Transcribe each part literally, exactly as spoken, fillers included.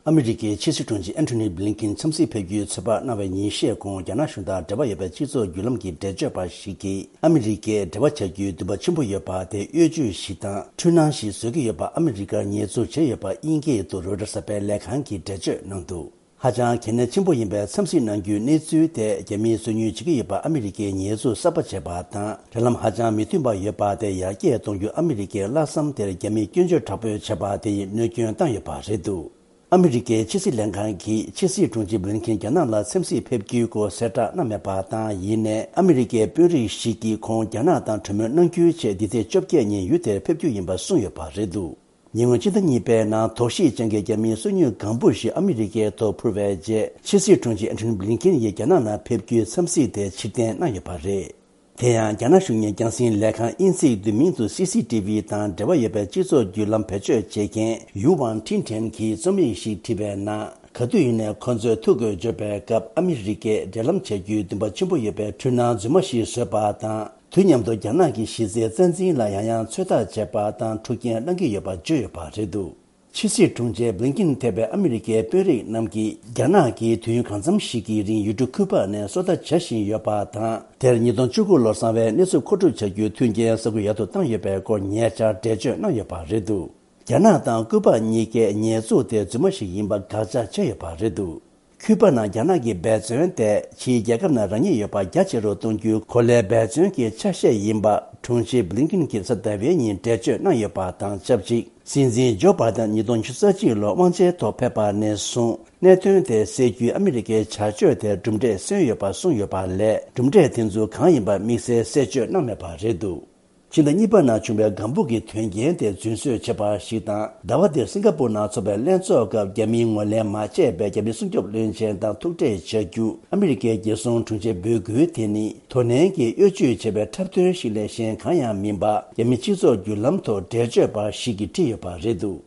ཨ་མི་རི་ཀའི་ཕྱི་སྲིད་དྲུང་ཆེ་ཨན་ཐོ་ནི་བྷི་ལིན་ཀིན་འཚམས་གཟིགས་ཕེབས་རྒྱུའི་ཚོད་དཔག་གནང་བའི་ཉིན་ཤས་གོང་རྒྱ་ནག་གཞུང་དང་འབྲེལ་བ་ཡོད་པའི་སྤྱི་ཚོགས་བརྒྱུད་ལམ་གྱི་འགྲེལ་བརྗོད་པ་ཞིག་གིས་ཨ་མི་རི་ཀས་འབྲེལ་བ་བྱ་རྒྱུའི་འདུན་པ་ཆེན་པོ་ཡོད་པ་དེ་གཡོ་ཇུས་ཤིག་དང་འཁྲུལ་སྣང་ཞིག་བཟོ་གི་ཡོད་པ་ཨ་མི་རི་ཀར་ཉེས་འཛུགས་བྱས་ཡོད་པ་དབྱིན་སྐད་དུ་རོའི་ཊར་གསར་པའི་ལས་ཁང་གིས་འགྲེལ་བརྗོད་གནང་འདུག་ཧ་ཅང་གལ་གནད་ཆེན་པོ་ཡིན་པའི་འཚམས་གཟིགས་གནང་རྒྱུའི་གནས་ཚུལ་དེ་རྒྱ་མིས་སོ་ཉུལ་བྱེད་ཀྱི་ཡོད་པ་ཨ་མི་རི་ཀས་ཉེས་འཛུགས་གསར་པ་བྱས་པ་དང་འབྲེལ་ལམ་ཧ་ཅང་མི་མཐུན་པ་ཡོད་པ་དེ་ཡར་རྒྱས་གཏོང་རྒྱུ་ཨ་མི་རི་ཀས་བླ་བསམ་དེར་རྒྱ་མིས་སྐྱོན་བརྗོད་དྲག་པོས་བྱས་པ་དེ་ཡིས་གནོད་སྐྱོན་བཏང་ཡོད་པ་རེད་འདུག་ཨ་མི་རི་ཀའི་ཕྱི་སྲིད་ལྷན་ཁང་གིས་ཕྱི་སྲིད་དྲུང་ཆེ་བྷི་ལིན་ཀིན་རྒྱ་ནག་ལ་འཚམས་གཟིགས་ཕེབས་རྒྱུའི་སྐོར་གསལ་བསྒྲགས་གནང་མེད་པ་དང་། ཡིན་ནའི་ཨ་མི་རི་ཀའི་དཔོན་རིགས་ཤིག་གིས་ཁོང་རྒྱ་ནག་དང་གྲོས་མོལ་གནང་རྒྱུའི་ཆེད་འདི་ཚེས་བཅོ་བརྒྱད་ཉིན་ཡུལ་དེར་ཕེབས་རྒྱུ་ཡིན་པ་གསུངས་ཡོད་པ་རེད་འདུག་ཉེ་སྔོན་ཕྱི་ཟླ་གཉིས་པའི་ནང་དོགས་གཞི་ཅན་གྱི་རྒྱ་མིའི་སོ་ཉུལ་ལྒང་བུ་ཞིག་ཨ་མི་རི་ཀའི་ཐོག་འཕུར་བའི་རྗེས། ཕྱི་སྲིད་དྲུང་ཆེ་ཨན་ཐོ་ནི་བྷི་ལིན་ཀིན་ཡིས་རྒྱ་ནག་ནང་ཕེབས་རྒྱུའི་འཚམས་གཟིགས་དེ་ཕྱིར་འཐེན་གནང་ཡོད་པ་རེད། དེ་ཡང་རྒྱ་ནག་གཞུང་གཉེར་རྒྱང་སྲིང་ལས་ཁང་དབྱིན་ཚིག་བསྡུས་མིང་དུ་སི་སི་ཊི་ཝི་དང་འབྲེལ་བ་ཡོད་པའི་སྤྱི་ཚོགས་བརྒྱུད་ལམ་བེད་སྤྱོད་བྱེད་མཁན་ཡུའུ་ཝང་ཁྲིན་ཁྲེན་གྱིས་རྩོམ་ཡིག་ཞིག་བྲིས་པའི་ནང་། ག་དུས་ཡིན་ནའི་ཁོ་ཚོས་ཐུགས་དགོས་འབྱོར་པའི་སྐབས་ཨ་མི་རི་ཀས་འབྲེལ་ལམ་བྱ་རྒྱུའི་འདུན་པ་ཆེན་པོ་ཡོད་པའི་འཁྲུལ་སྣང་རྫུན་མ་ཞིག་བཟོས་པ་དང་། དུས་མཉམ་དུ་རྒྱ་ནག་གི་གཞི་རྩའི་རྩ་འཛིན་ལ་ཡང་ཡང་ཚོད་ལྟ་བྱས་པ་དང་འཁྲུག་རྐྱེན་བསླང་གི་ཡོད་པ་བརྗོད་ཡོད་པ་རེད་འདུག་ཕྱི་སྲིད་དྲུང་ཆེ་བྷི་ལིན་ཀིན་ཐེ་བའི་ཨ་མི་རི་ཀའི་དཔོན་རིགས་རྣམས་ཀྱིས་རྒྱ་ནག་གིས་དུས་ཡུན་གང་འཚམ་ཞིག་གི་རིང་ཡུལ་གྲུ་ཁུ་པ་ནས་སོ་ལྟ་བྱ་བཞིན་ཡོད་པ་དང་། དེར་ཉིས་སྟོང་བཅུ་དགུ་ལོར་གསང་བའི་གནས་ཚུལ་མཁོ་སྒྲུབ་བྱ་རྒྱུའི་མཐུན་རྐྱེན་ས་ཁུལ་ཡག་ཏུ་བཏང་ཡོད་པའི་སྐོར་ཉེ་ཆར་འགྲེལ་བརྗོད་གནང་ཡོད་པ་རེད་འདུག་རྒྱ་ནག་དང་ཀུ་པ་གཉིས་ཀས་ཉེས་འཛུགས་དེ་རྫུན་མ་ཞིག་ཡིན་པ་དགག་བྱ་བྱས་ཡོད་པ་རེད་འདུག་ཁུ་པ་ནང་རྒྱ་ནག་གི་འབད་བརྩོན་དེ་ཕྱིའི་རྒྱལ་ཁབ་ནང་རང་ཉིད་ཡོད་པ་རྒྱ་ཆེ་རུ་གཏོང་རྒྱུའི་གོ་ལའི་འབད་བརྩོན་གྱི་ཆ་ཤས་ཡིན་པ་དྲུང་ཆེ་བྷི་ལིན་ཀིན་གྱིས་གཟའ་ཟླ་བའི་ཉིན་འགྲེལ་བརྗོད་གནང་ཡོད་པ་དང་ཆབས་ཅིག་སྲིད་འཛིན་ཇོ་བྷའི་ཏན་ཉིས་སྟོང་ཉི་ཤུ་རྩ་གཅིག་ལོར་དབང་ཆའི་ཐོག་ཕེབས་པ་ནས་བཟུང་གནད་དོན་དེ་སེལ་རྒྱུའི་ཨ་མི་རི་ཀའི་བྱ་སྤྱོད་དེར་གྲུབ་འབྲས་སོན་ཡོད་པ་གསུངས་ཡོད་པ་ལས། གྲུབ་འབྲས་དེ་ཚོ་གང་ཡིན་པ་དམིགས་བསལ་གསལ་བརྗོད་གནང་མེད་པ་རེད་འདུག་ཕྱི་ཟླ་གཉིས་པ་ནང་བྱུང་བའི་ལྒང་བུ་གི་དོན་རྐྱེན་དེ་རྫུན་བཟོས་བྱས་པ་ཞིག་དང་། ཟླ་བ་འདིར་སིང་ག་པུར་ནང་ཚོགས་པའི་ལྷན་ཚོགས་སྐབས་རྒྱ་མིའི་ངོས་ལེན་མ་བྱས་པའི་རྒྱ་མིའི་སྲུང་སྐྱོབ་བློན་ཆེན་དང་ཐུག་འཕྲད་བྱ་རྒྱུ་ཨ་མི་རི་ཀའི་རྒྱལ་སྲུང་དྲུང་ཆེས་འབོད་སྐུལ་དེ་ནི་དོ་ནན་གྱིས་གཡོ་ཇུས་བྱས་པའི་འཁྲབ་སྟོན་ཞིག་ལས་གཞན་གང་ཡང་མིན་པ་རྒྱ་མི་སྤྱི་ཚོགས་བརྒྱུད་ལམ་ཐོག་འགྲེལ་བརྗོད་པ་ཞིག་གིས་བྲིས་ཡོད་པ་རེད་འདུག་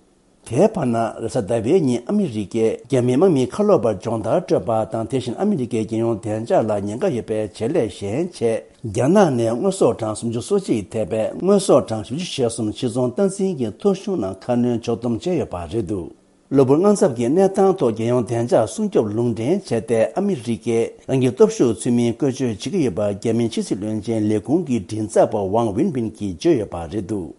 དེའི་བར་ན་རེས་གཟའ་ཟླ་བའི་ཉིན་ཨ་མི་རི་ཀས་རྒྱ་མིའི་དམག་མི་ཁ་ལོ་བ་སྦྱོང་བརྡར་སྤྲོད་པ་དང་། དེ་བཞིན་ཨ་མི་རི་ཀའི་རྒྱལ་ཡོངས་བདེ་འཇགས་ལ་ཉེན་ཁ་ཡོད་པའི་བྱེད་ལས་གཞན་ཆེད་རྒྱ་ནག་ནས་དངོས་ཟོག་གྲངས་སུམ་ཅུ་སོ་གཅིག་ཐེ་བའི་དངོས་ཟོག་གྲངས་བཞི་བཅུ་ཞེ་གསུམ་ཕྱི་ཚོང་སྟངས་འཛིན་གྱི་ཐོ་གཞུང་ནང་ཁ་སྣོན་ཕྱོགས་བསྡོམས་བྱས་ཡོད་པ་རེད་འདུག་གློ་བུར་དངངས་འཚབ་ཀྱི་གནས་སྟངས་ཐོག་རྒྱལ་ཡོངས་བདེ་འཇགས་སྲུང་སྐྱོབ་ལུང་འདྲེན་བྱས་ཏེ་ཨ་མི་རི་ཀས་རང་གི་སྟོབས་ཤུགས་ཚུལ་མིན་བཀོལ་སྤྱོད་བྱེད་ཀྱི་ཡོད་པ་རྒྱ་མིའི་ཕྱི་སྲིད་བློན་ཆེན་ལས་ཁུངས་ཀྱི་མགྲིན་ཚབ་པ་ཝང་ཝིན་པིན་གྱིས་བརྗོད་ཡོད་པ་རེད་འདུག་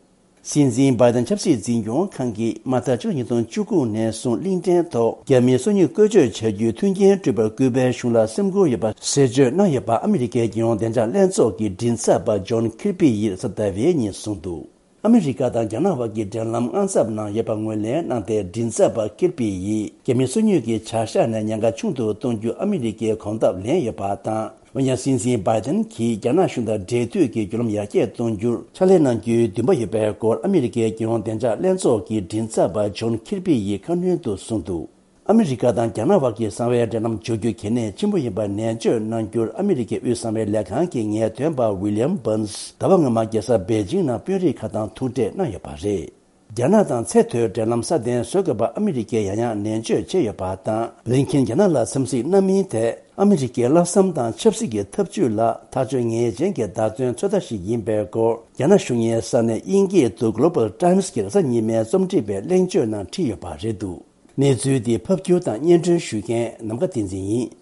སྲིད་འཛིན་བྷའི་ཏན་ཆབ་སྲིད་འཛིན་སྐྱོང་ཁང་གིས་མ་མཐའ་ཕྱི་ལོ་ཉིས་སྟོང་བཅུ་དགུ་ནས་བཟུང་གླིང་ཕྲན་ཐོག་རྒྱ་མིའི་སོ་ཉུལ་བཀོལ་སྤྱོད་བྱ་རྒྱུའི་མཐུན་རྐྱེན་སྤྲོད་པར་ཀུ་པའི་གཞུང་ལ་སེམས་ཁུར་ཡོད་པ་གསལ་བརྗོད་གནང་ཡོད་པ་ཨ་མི་རི་ཀའི་རྒྱལ་ཡོངས་བདེ་འཇགས་ལྷན་ཚོགས་ཀྱི་མགྲིན་ཚབ་པ་ཇོན་ཁིར་པི་ཡིས་གཟའ་ཟླ་བའི་ཉིན་གསུངས་འདུག་ཨ་མི་རི་ཀ་དང་རྒྱ་ནག་བར་གྱི་འབྲེལ་ལམ་དངངས་འཚབ་ནང་ཡོད་པ་ངོས་ལེན་གནང་སྟེ། མགྲིན་ཚབ་པ་ཁིར་པི་ཡིས་རྒྱ་མི་སོ་ཉུལ་གྱི་བྱ་གཞག་ནས་ཉེན་ཁ་ཆུང་དུ་གཏོང་རྒྱུ་ཨ་མི་རི་ཀས་གོམ་སྟབས་ལེན་ཡོད་པ་དང་། འོན་ཀྱང་སྲིད་འཛིན་བྷའི་ཏན་གྱིས་རྒྱ་ནག་གཞུང་དང་འབྲེལ་མཐུད་ཀྱིས་བརྒྱུད་ལམ་ཡར་རྒྱས་གཏོང་རྒྱུར་ཕྱག་ལས་གནང་རྒྱུའི་འདུན་པ་ཡོད་པའི་སྐོར་ཨ་མི་རི་ཀའི་རྒྱལ་ཡོངས་བདེ་འཇགས་ལྷན་ཚོགས་ཀྱི་མགྲིན་ཚབ་པ་ཇོན་ཁིར་པི་ཡིས་ཁ་སྣོན་དུ་གསུངས་འདུག་ཨ་མི་རི་ཀ་དང་རྒྱ་ནག་བར་གྱི་གསང་བའི་འབྲེལ་ལམ་འཇོག་རྒྱུ་གལ་གནད་ཆེན་པོ་ཡིན་པར་ནན་བརྗོད་གནང་རྒྱུར་ཨ་མི་རི་ཀའི་དབུས་གསང་བའི་ལས་ཁང་གི་ངེས་སྟོན་པ་ཝི་ལི་ཡམ་བྷན་སི་ཟླ་བ་སྔོན་མ་རྒྱལ་ས་པེ་ཅིང་ནང་དཔོན་རིགས་ཁག་དང་ཐུག་འཕྲད་གནང་ཡོད་པ་རེད། རྒྱ་ནག་དང་ཚད་མཐོའི་འབྲེལ་ལམ་སྲ་བརྟན་བཟོ་དགོས་པ་ཨ་མི་རི་ཀས་ཡང་ཡང་ནན་བརྗོད་བྱས་ཡོད་པ་དང་། བྷི་ལིན་ཁིན་རྒྱ་ནག་ལ་འཚམས་གཟིགས་གནང་མིན་དེ་ཨ་མི་རི་ཀའི་བླ་བསམ་དང་ཆབ་སྲིད་ཀྱི་འཐབ་ཇུས་ལ་ཐག་གཅོད་ངེས་ཅན་གྱི་བརྡ་སྟོན་ཚོད་ལྟ་ཞིག་ཡིན་པའི་སྐོར་རྒྱ་ནག་གཞུང་གཉེར་ས་གནས་དབྱིན་སྐད་དུ་Global Times་གྱི་རེས་གཟའ་ཉི་མའི་རྩོམ་སྒྲིག་པའི་གླེང་བརྗོད་ནང་བྲིས་ཡོད་པ་རེད་འདུག་གནས་ཚུལ་འདི་ཕབ་སྒྱུར་དང་སྙན་སྒྲོན་ཞུ་མཁན་ནམ་མཁའ་བསྟན་འཛིན་ཡིན།